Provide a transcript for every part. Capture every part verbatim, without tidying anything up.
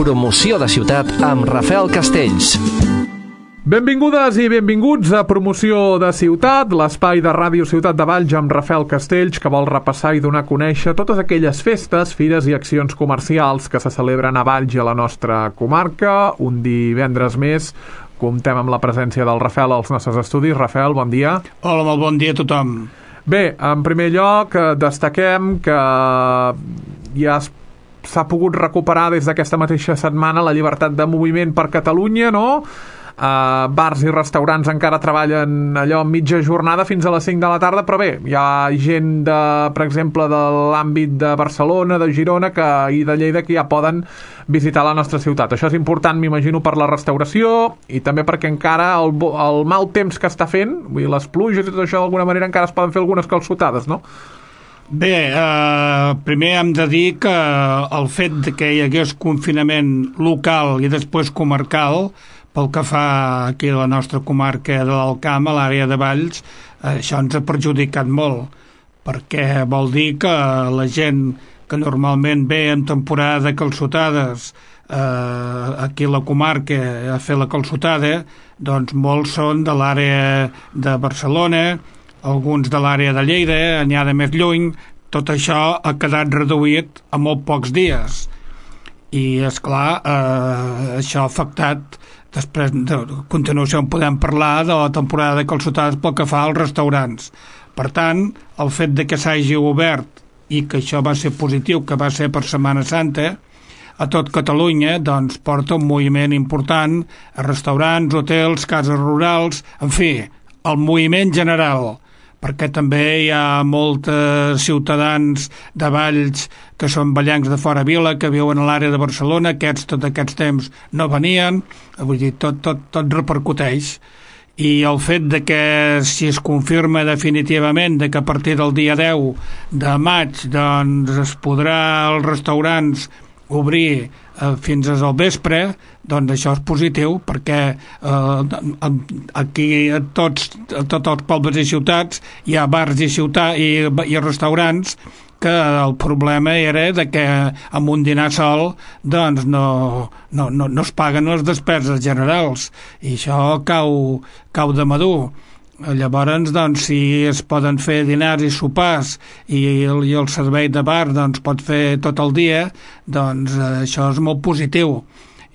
Promoció de ciutat amb Rafael Castells. Benvingudes i benvinguts a Promoció de Ciutat, l'espai de Ràdio Ciutat de Valls amb Rafael Castells, que vol repassar i donar a conèixer totes aquelles festes, fires i accions comercials que se celebren a Valls i a la nostra comarca. Un divendres més comptem amb la presència del Rafael als nostres estudis. Rafael, bon dia. Hola, molt bon dia a tothom. Bé, en primer lloc, destaquem que ja s'ha pogut recuperar des d'aquesta mateixa setmana la llibertat de moviment per Catalunya, no? Uh, bars i restaurants encara treballen allò mitja jornada fins a les cinc de la tarda, però bé, hi ha gent de, per exemple, de l'àmbit de Barcelona, de Girona que, i de Lleida que ja poden visitar la nostra ciutat. Això és important, m'imagino, per la restauració i també perquè encara el, el mal temps que està fent, vull dir, les pluges i tot això d'alguna manera encara es poden fer algunes calçotades, no? Bé, eh, primer hem de dir que el fet de que hi hagués confinament local i després comarcal, pel que fa aquí a la nostra comarca de l'Alt Camp, a l'àrea de Valls, això ens ha perjudicat molt, perquè vol dir que la gent que normalment ve en temporada de calçotades eh, aquí a la comarca a fer la calçotada, doncs molts són de l'àrea de Barcelona, alguns de l'àrea de Lleida, n'hi ha de més lluny. Tot això ha quedat reduït a molt pocs dies. I, esclar, eh, això ha afectat. Després, de continuació, en podem parlar de la temporada de calçotades pel que fa als restaurants. Per tant, el fet de que s'hagi obert i que això va ser positiu, que va ser per Setmana Santa, a tot Catalunya, doncs porta un moviment important a restaurants, hotels, cases rurals, en fi, el moviment general, perquè també hi ha molts ciutadans de Valls que són vallencs de fora vila, que viuen a l'àrea de Barcelona, aquests tot aquests temps no venien, vull dir, tot, tot, tot repercuteix. I el fet de que si es confirma definitivament de que a partir del dia deu de maig doncs es podrà als restaurants obrir eh, fins al vespre, doncs això és positiu, perquè eh, aquí a tots, a tots els pobles i ciutats hi ha bars i, ciutat, i, i restaurants que el problema era de que amb un dinar sol doncs no, no, no, no es paguen les despeses generals i això cau, cau de madur. Llavors, doncs, si es poden fer dinars i sopars i el, i el servei de bar doncs, pot fer tot el dia, doncs eh, això és molt positiu.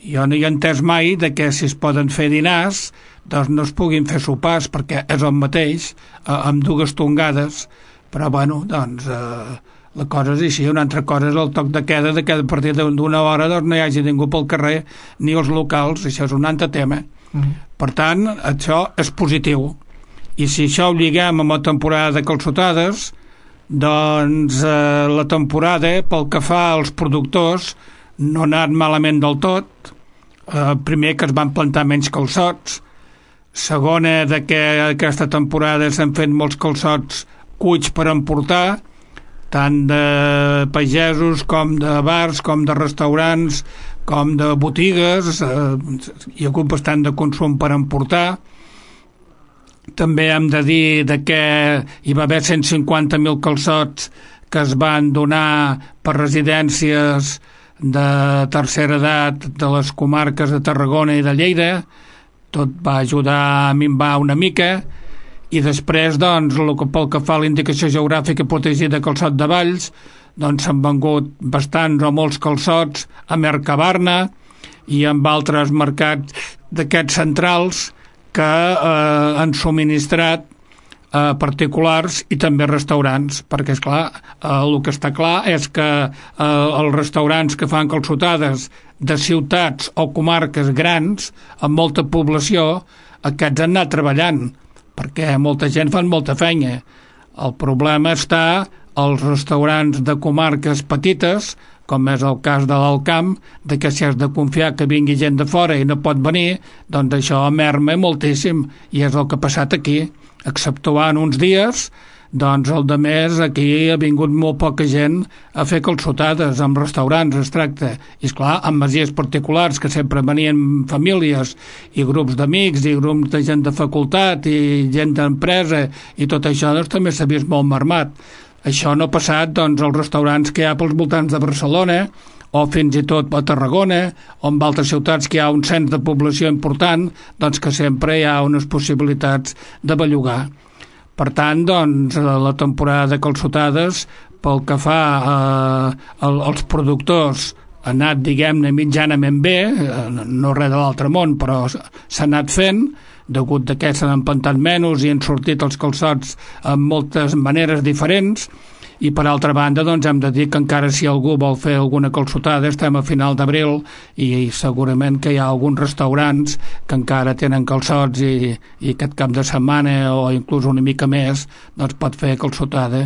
Jo no hi he entès mai de que si es poden fer dinars doncs no es puguin fer sopars, perquè és el mateix, eh, amb dues tongades, però bueno, doncs eh, la cosa és així. Una altra cosa és el toc de queda, de que a partir d'una hora doncs, no hi hagi ningú pel carrer ni els locals, això és un altre tema. Mm. Per tant, això és positiu. I si això ho lliguem amb la temporada de calçotades, doncs eh, la temporada, pel que fa als productors, no ha anat malament del tot. Eh, primer, que es van plantar menys calçots. Segona, de que aquesta temporada s'han fet molts calçots cuits per emportar, tant de pagesos com de bars, com de restaurants, com de botigues. Eh, hi ha hagut bastant de consum per emportar. També hem de dir de que hi va haver cent cinquanta mil calçots que es van donar per residències de tercera edat de les comarques de Tarragona i de Lleida. Tot va ajudar a minvar una mica. I després, doncs, el que, pel que fa a la indicació geogràfica protegida de calçot de Valls, doncs s'han vengut bastants o molts calçots a Mercabarna i amb altres mercats d'aquests centrals que eh, han subministrat eh, particulars i també restaurants, perquè és clar, eh, el que està clar és que eh, els restaurants que fan calçotades de ciutats o comarques grans amb molta població, aquests han anat treballant, perquè molta gent fan molta feina. El problema està als restaurants de comarques petites, com és el cas de l'Alt Camp, de que si has de confiar que vingui gent de fora i no pot venir, doncs això merma moltíssim, i és el que ha passat aquí. Exceptuant uns dies, doncs el de més aquí ha vingut molt poca gent a fer calçotades amb restaurants, es tracta. I esclar, amb masies particulars que sempre venien famílies i grups d'amics i grups de gent de facultat i gent d'empresa i tot això, doncs també s'ha vist molt mermat. Això no ha passat doncs, als restaurants que hi ha pels voltants de Barcelona o fins i tot a Tarragona, o en altres ciutats que hi ha un cens de població important, doncs que sempre hi ha unes possibilitats de bellugar. Per tant, doncs, la temporada de calçotades, pel que fa eh, als productors, ha anat, diguem-ne, mitjanament bé, no res de l'altre món, però s'ha anat fent, degut que s'han empantat menys i han sortit els calçots en moltes maneres diferents. I per altra banda, doncs, hem de dir que encara si algú vol fer alguna calçotada, estem a final d'abril i segurament que hi ha alguns restaurants que encara tenen calçots i, i aquest cap de setmana o inclús una mica més doncs pot fer calçotada.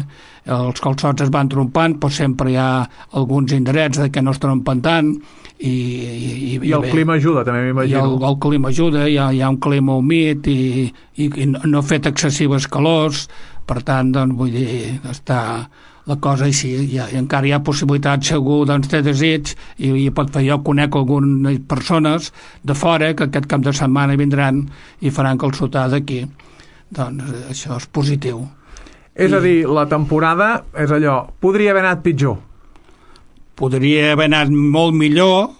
Els calçots es van trompant, però sempre hi ha alguns indrets que no es trompen tant i, i, i el bé, clima ajuda també, m'imagino. I el, el clima ajuda, hi ha, hi ha un clima humit i, i, i no ha fet excessives calors. Per tant, doncs, vull dir, està la cosa així, i, i encara hi ha possibilitat, si algú doncs, té desig, i, i pot fer, jo conec algunes persones de fora que aquest cap de setmana vindran i faran calçotada aquí. Doncs això és positiu. És I, a dir, la temporada és allò, podria haver anat pitjor. Podria haver anat molt millor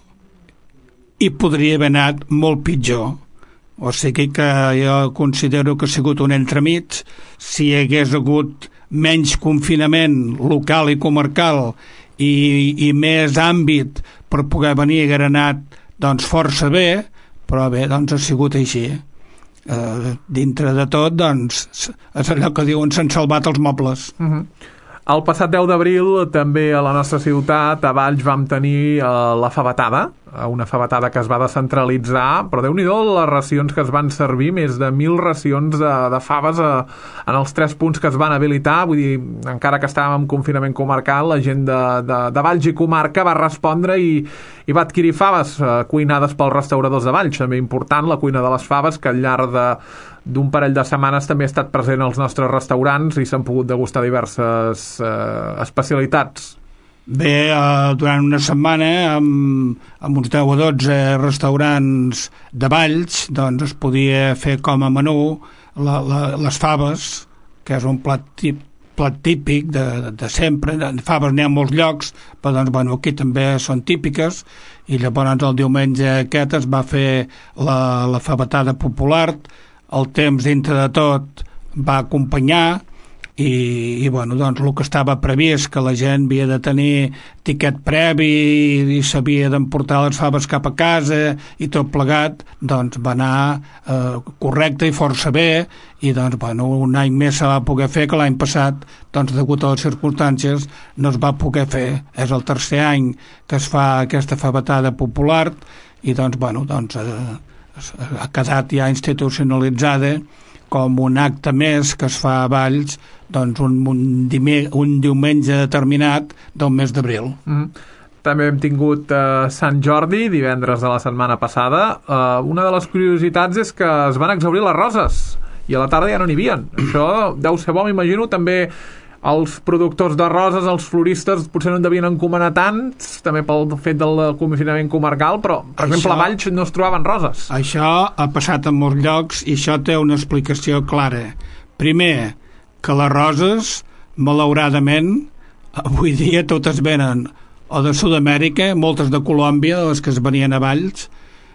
i podria haver anat molt pitjor. O sigui que jo considero que ha sigut un entremig. Si hi hagués hagut menys confinament local i comarcal i, i més àmbit per poder venir a Granat, doncs força bé, però bé, doncs ha sigut així. Eh, dintre de tot, doncs, és allò que diuen, s'han salvat els mobles. Uh-huh. El passat deu d'abril també a la nostra ciutat, a Valls, vam tenir eh, la favetada, una favetada que es va descentralitzar, però Déu-n'hi-do les racions que es van servir, més de mil racions de, de faves a, en els tres punts que es van habilitar. Vull dir, encara que estàvem en confinament comarcal, la gent de, de, de Valls i comarca va respondre i, i va adquirir faves eh, cuinades pels restauradors de Valls. També important la cuina de les faves, que al llarg de d'un parell de setmanes també ha estat present als nostres restaurants i s'han pogut degustar diverses eh, especialitats. Bé, eh, durant una setmana amb, amb uns deu o dotze restaurants de Valls doncs es podia fer com a menú la, la, les faves, que és un plat, tip, plat típic de, de sempre. De faves n'hi ha molts llocs, però doncs, bueno, aquí també són típiques, i llavors el diumenge aquest es va fer la, la favetada popular. El temps dintre de tot va acompanyar i, i bueno, doncs el que estava previst, que la gent havia de tenir tiquet previ i, i s'havia d'emportar les faves cap a casa i tot plegat, doncs va anar eh, correcte i força bé, i doncs bueno, un any més se va poder fer, que l'any passat doncs degut a les circumstàncies no es va poder fer. És el tercer any que es fa aquesta favetada popular i doncs bueno, doncs eh, ha quedat ja institucionalitzada com un acte més que es fa a Valls doncs un, un, dime, un diumenge determinat del mes d'abril. Mm. També hem tingut eh, Sant Jordi, divendres de la setmana passada. Eh, una de les curiositats és que es van exhaurir les roses i a la tarda ja no n'hi havia. Això deu ser bo, m'imagino, també els productors de roses, els floristes, potser no en devien encomanar tants, també pel fet del confinament comarcal, però, per això, exemple, a Valls no es trobaven roses. Això ha passat en molts llocs i això té una explicació clara. Primer, que les roses, malauradament, avui dia totes venen o de Sud-amèrica, moltes de Colòmbia, les que es venien a Valls,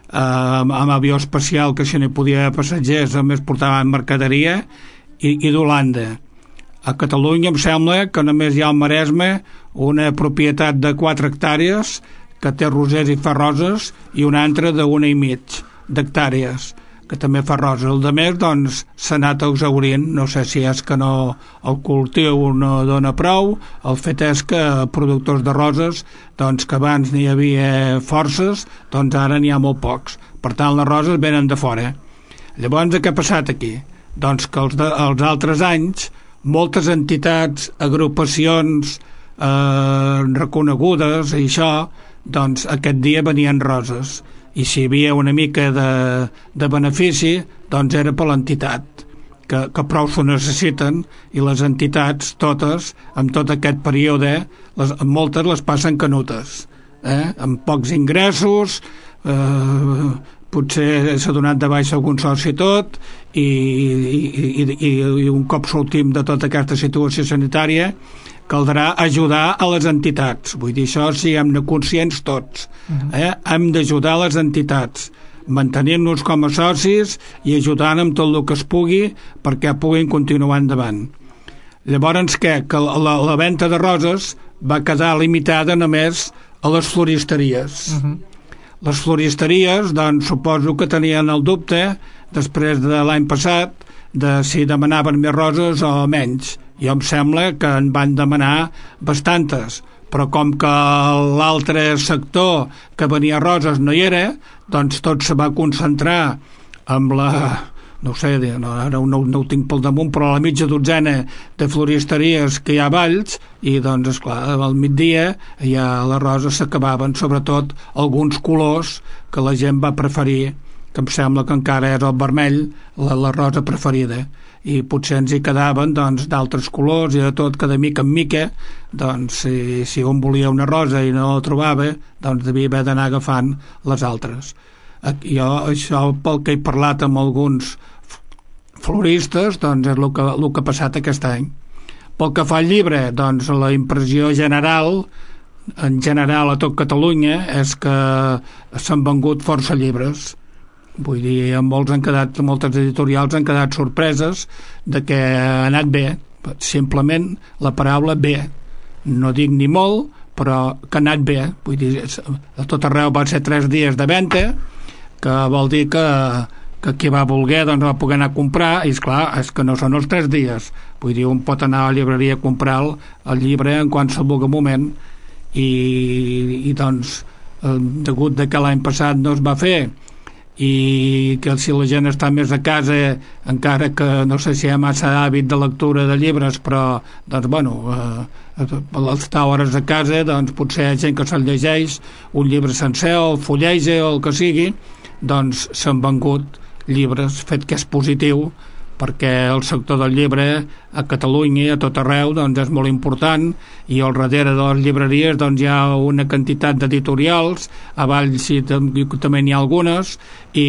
eh, amb, amb avió especial, que si no hi podia haver passatgers, només portaven mercaderia, i, i d'Holanda. A Catalunya em sembla que només hi ha al Maresme una propietat de quatre hectàrees que té rosers i fa roses i una altra d'una i mig d'hectàrees que també fa roses. El de més, doncs, s'ha anat exhaurint. No sé si és que no el cultiu no dona prou. El fet és que productors de roses, doncs, que abans n'hi havia forces, doncs ara n'hi ha molt pocs. Per tant, les roses venen de fora. Llavors, què ha passat aquí? Doncs que els, de, els altres anys moltes entitats, agrupacions eh, reconegudes i això, doncs aquest dia venien roses, i si hi havia una mica de, de benefici, doncs era per l'entitat, que, que prou s'ho necessiten, i les entitats totes, en tot aquest període, les, moltes les passen canutes, eh? Amb pocs ingressos, eh, potser s'ha donat de baixa algun soci tot i, i, i, i un cop sortim de tota aquesta situació sanitària caldrà ajudar a les entitats. Vull dir, això siguem-ne conscients tots. Eh? Hem d'ajudar les entitats, mantenint-nos com a socis i ajudant amb tot el que es pugui perquè puguin continuar endavant. Llavors, què? Que la, la venda de roses va quedar limitada només a les floristeries. Uh-huh. Les floristeries, doncs, suposo que tenien el dubte, després de l'any passat, de si demanaven més roses o menys. Jo em sembla que en van demanar bastantes, però com que l'altre sector que venia roses no hi era, doncs tot se va concentrar amb la, no sé, no, ara no, no ho tinc pel damunt, però la mitja dotzena de floristeries que hi ha a Valls, i doncs, esclar, al migdia ja les roses s'acabaven, sobretot alguns colors que la gent va preferir, que em sembla que encara és el vermell, la, la rosa preferida, i potser ens hi quedaven doncs, d'altres colors i de tot, que de mica en mica doncs, si, si un volia una rosa i no la trobava, doncs devia haver d'anar agafant les altres. Jo, això, pel que he parlat amb alguns floristes, doncs és el que, el que ha passat aquest any. Pel que fa al llibre, doncs la impressió general, en general a tot Catalunya, és que s'han vengut força llibres. Vull dir, molts han quedat, moltes editorials han quedat sorpreses de que ha anat bé, simplement la paraula bé. No dic ni molt, però que ha anat bé. Vull dir, a tot arreu va ser tres dies de venda, que vol dir que, que qui va voler doncs va poder anar a comprar, i esclar, és que no són els tres dies. Vull dir, un pot anar a la llibreria a comprar el, el llibre en qualsevol moment, i, i doncs, degut de que l'any passat no es va fer, i que si la gent està més a casa, encara que no sé si hi ha massa hàbit de lectura de llibres, però doncs bueno, eh, estar hores a casa, doncs potser hi ha gent que se'l llegeix un llibre sencer o el fulleja o el que sigui, doncs s'han vengut llibres, fet que és positiu, perquè el sector del llibre a Catalunya, a tot arreu, doncs és molt important, i al darrere de les llibreries doncs hi ha una quantitat d'editorials, a Valls sí, també n'hi ha algunes, i,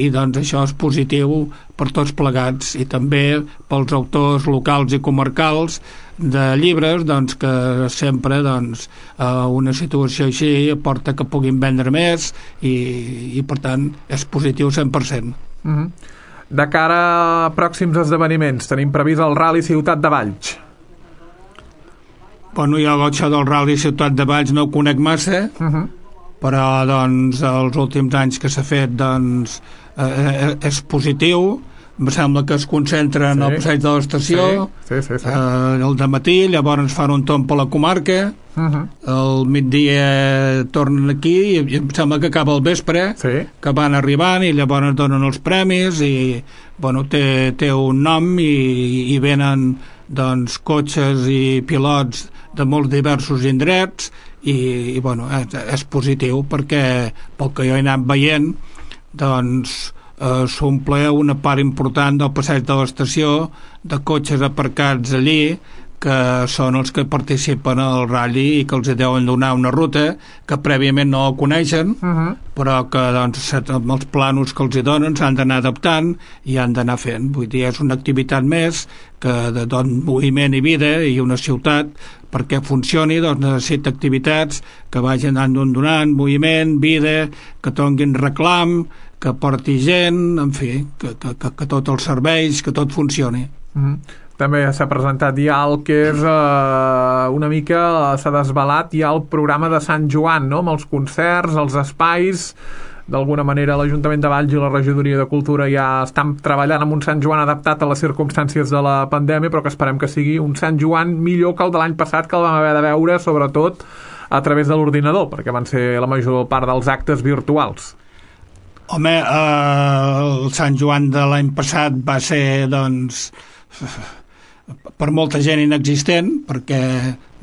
i doncs això és positiu per tots plegats, i també pels autors locals i comarcals de llibres, doncs que sempre doncs, una situació així porta que puguin vendre més, i, i per tant és positiu cent per cent. Mm-hmm. De cara a pròxims esdeveniments, tenim previst el Rally Ciutat de Valls. Bueno, jo això del Rally Ciutat de Valls no ho conec massa, uh-huh. però doncs els últims anys que s'ha fet doncs eh, és positiu. Em sembla que es concentren sí. al passeig de l'estació, sí. Sí, sí, sí. Eh, el dematí, llavors fan un tomb a la comarca, uh-huh. el migdia tornen aquí i em sembla que acaba el vespre, sí. que van arribant i llavors donen els premis i bueno, té, té un nom i, i venen doncs, cotxes i pilots de molts diversos indrets i, i bueno, és, és positiu perquè pel que jo he anat veient doncs eh, s'omple una part important del passeig de l'estació de cotxes aparcats allí que són els que participen al ratll i que els deuen donar una ruta que prèviament no coneixen, uh-huh. però que doncs, amb els planos que els hi donen s'han d'anar adaptant i han d'anar fent. Vull dir, és una activitat més que de don moviment i vida i una ciutat perquè funcioni doncs, necessita activitats que vagin donant moviment, vida, que tonguin reclam, que porti gent, en fi, que, que, que, que tots els serveis, que tot funcioni. Uh-huh. També s'ha presentat ja el que és eh, una mica, s'ha desvelat ja el programa de Sant Joan, no? Amb els concerts, els espais. D'alguna manera l'Ajuntament de Valls i la Regidoria de Cultura ja estan treballant amb un Sant Joan adaptat a les circumstàncies de la pandèmia, però que esperem que sigui un Sant Joan millor que el de l'any passat, que el vam haver de veure sobretot a través de l'ordinador, perquè van ser la major part dels actes virtuals. Home, eh, el Sant Joan de l'any passat va ser, doncs, per molta gent inexistent, perquè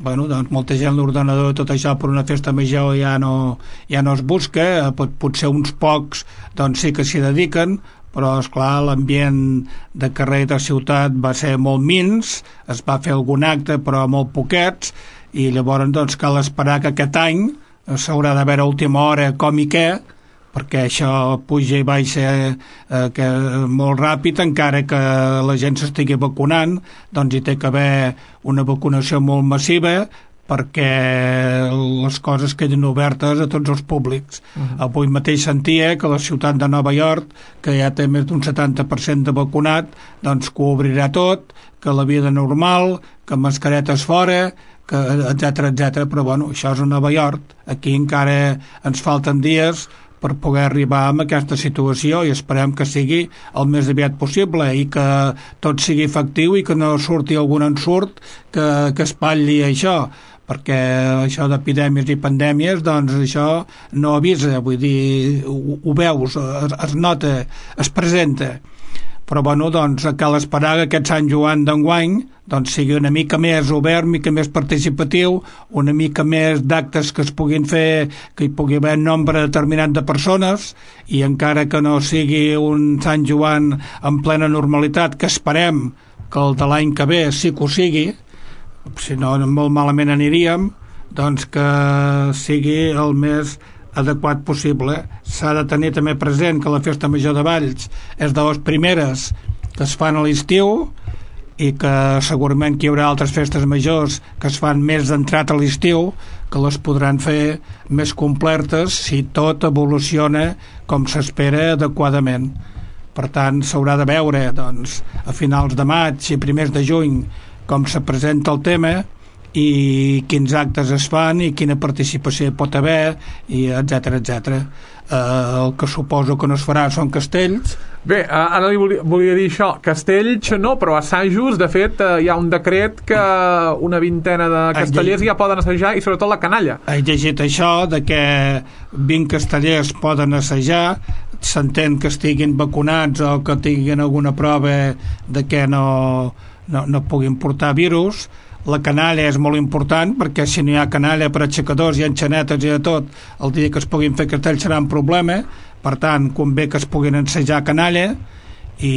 bueno, doncs molta gent l'ordenador tot això per una festa major ja no, ja no es busca, pot, potser uns pocs doncs sí que s'hi dediquen, però esclar l'ambient de carrer de ciutat va ser molt mins, es va fer algun acte però molt poquets, i llavors doncs cal esperar que aquest any s'haurà de veure a última hora com i què, perquè això puja i baixa eh, que molt ràpid, encara que la gent s'estigui vacunant, doncs hi té que haver una vacunació molt massiva perquè les coses quedin obertes a tots els públics. Uh-huh. Avui mateix sentia que la ciutat de Nova York, que ja té més d'un setanta per cent de vacunat, doncs que ho obrirà tot, que la vida normal, que mascaretes fora, que etcètera, etcètera. Però bueno, això és a Nova York. Aquí encara ens falten dies per poder arribar a aquesta situació i esperem que sigui el més aviat possible i que tot sigui efectiu i que no surti algun ensurt que, que espatlli això, perquè això d'epidèmies i pandèmies, doncs això no avisa, vull dir, ho, ho veus, es, es nota, es presenta. Però bueno, doncs cal esperar que aquest Sant Joan d'enguany doncs sigui una mica més obert, una mica més participatiu, una mica més d'actes que es puguin fer, que hi pugui haver un nombre determinat de persones, i encara que no sigui un Sant Joan en plena normalitat, que esperem que el de l'any que ve sí que ho sigui, si no molt malament aniríem, doncs que sigui el més adequat possible. S'ha de tenir també present que la Festa Major de Valls és de les primeres que es fan a l'estiu i que segurament que hi haurà altres festes majors que es fan més d'entrat a l'estiu, que les podran fer més completes si tot evoluciona com s'espera adequadament. Per tant, s'haurà de veure doncs, a finals de maig i primers de juny com se presenta el tema i quins actes es fan i quina participació hi pot haver, i etcètera, etcètera. Eh, el que suposo que no es farà són castells. Bé, ara li volia, volia dir això, castells no, però assajos, de fet, eh, hi ha un decret que una vintena de castellers ja poden assajar, i sobretot la canalla. He llegit això, de que vint castellers poden assajar, s'entén que estiguin vacunats o que tinguin alguna prova de que no, no, no puguin portar virus. La canalla és molt important, perquè si no hi ha canalla per aixecadors i enxanetes i de tot, el dia que es puguin fer castells serà un problema. Per tant, convé que es puguin ensejar canalla, i,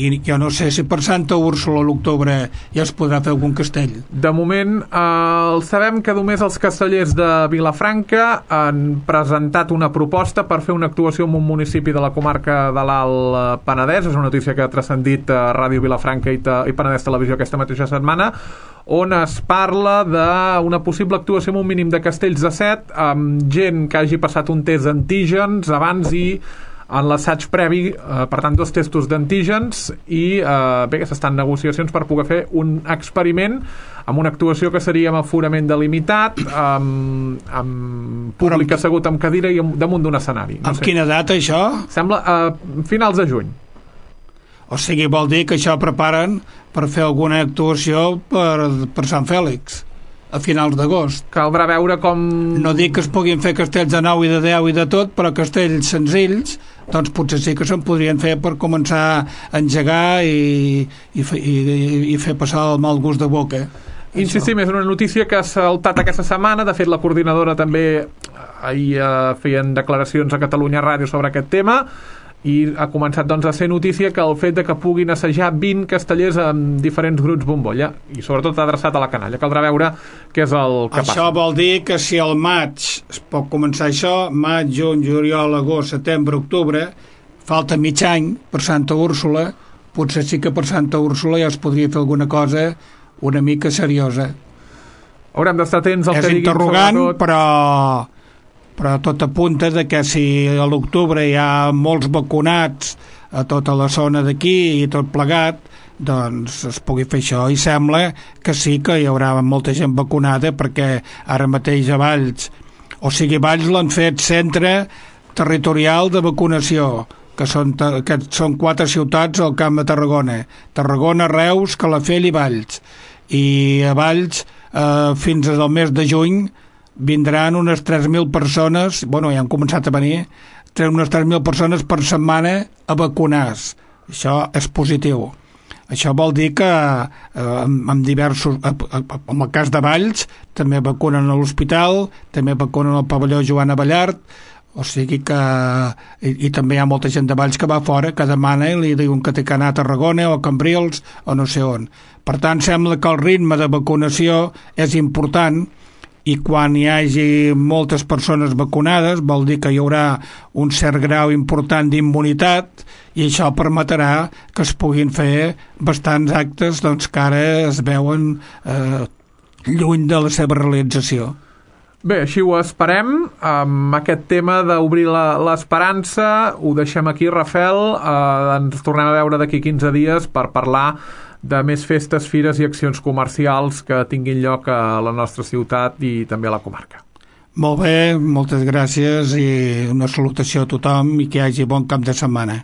i jo no sé si per Santa Úrsula a l'octubre ja es podrà fer algun castell. De moment, eh, sabem que només els castellers de Vilafranca han presentat una proposta per fer una actuació en un municipi de la comarca de l'Alt Penedès. És una notícia que ha transcendit a Ràdio Vilafranca i, i Penedès Televisió aquesta mateixa setmana, on es parla d'una possible actuació amb un mínim de castells de set, amb gent que hagi passat un test d'antígens abans i en l'assaig previ, eh, per tant dos testos d'antígens, i eh, bé, que s'estan negociacions per poder fer un experiment amb una actuació que seria amb aforament delimitat, amb, amb públic amb... assegut amb cadira i damunt d'un escenari. No amb sé. Quina data això? Sembla eh, finals de juny. O sigui, vol dir que això preparen per fer alguna actuació per, per Sant Fèlix a finals d'agost. Caldrà veure com... No dic que es puguin fer castells de nou i de deu i de tot, però castells senzills doncs potser sí que se'n podrien fer per començar a engegar i, i, i, i fer passar el mal gust de boca. Insistim, és una notícia que ha saltat aquesta setmana. De fet, la coordinadora també ahir eh, feien declaracions a Catalunya Ràdio sobre aquest tema, i ha començat doncs a ser notícia que el fet de que puguin assajar vint castellers amb diferents grups bombolla, i sobretot adreçat a la canalla. Caldrà veure què és el que això passa. Això vol dir que si al maig es pot començar això, maig, juny, juliol, agost, setembre, octubre, falta mig any per Santa Úrsula, potser sí que per Santa Úrsula ja es podria fer alguna cosa una mica seriosa. Haurem d'estar atents al és que diguin, interrogant, sobretot... però... però tot apunta de que si a l'octubre hi ha molts vacunats a tota la zona d'aquí i tot plegat, doncs es pugui fer això, i sembla que sí que hi haurà molta gent vacunada, perquè ara mateix a Valls, o sigui, Valls l'han fet centre territorial de vacunació, que són, que són quatre ciutats al Camp de Tarragona, Tarragona, Reus, Calafell i Valls, i a Valls eh, fins al mes de juny vindran unes tres mil persones, bueno, ja han començat a venir, unes tres mil persones per setmana a vacunar-se. Això és positiu. Això vol dir que eh, amb diversos, en el cas de Valls, també vacunen a l'hospital, també vacunen al pavelló Joan Abellart, o sigui que i, i també hi ha molta gent de Valls que va fora, que demana i li diuen que té que anar a Tarragona o a Cambrils o no sé on. Per tant, sembla que el ritme de vacunació és important, i quan hi hagi moltes persones vacunades vol dir que hi haurà un cert grau important d'immunitat i això permetrà que es puguin fer bastants actes doncs, que ara es veuen eh, lluny de la seva realització. Bé, així ho esperem. Amb aquest tema d'obrir l'esperança ho deixem aquí, Rafael. Eh, ens tornem a veure d'aquí quinze dies per parlar de més festes, fires i accions comercials que tinguin lloc a la nostra ciutat i també a la comarca. Molt bé, moltes gràcies i una salutació a tothom i que hi hagi bon cap de setmana.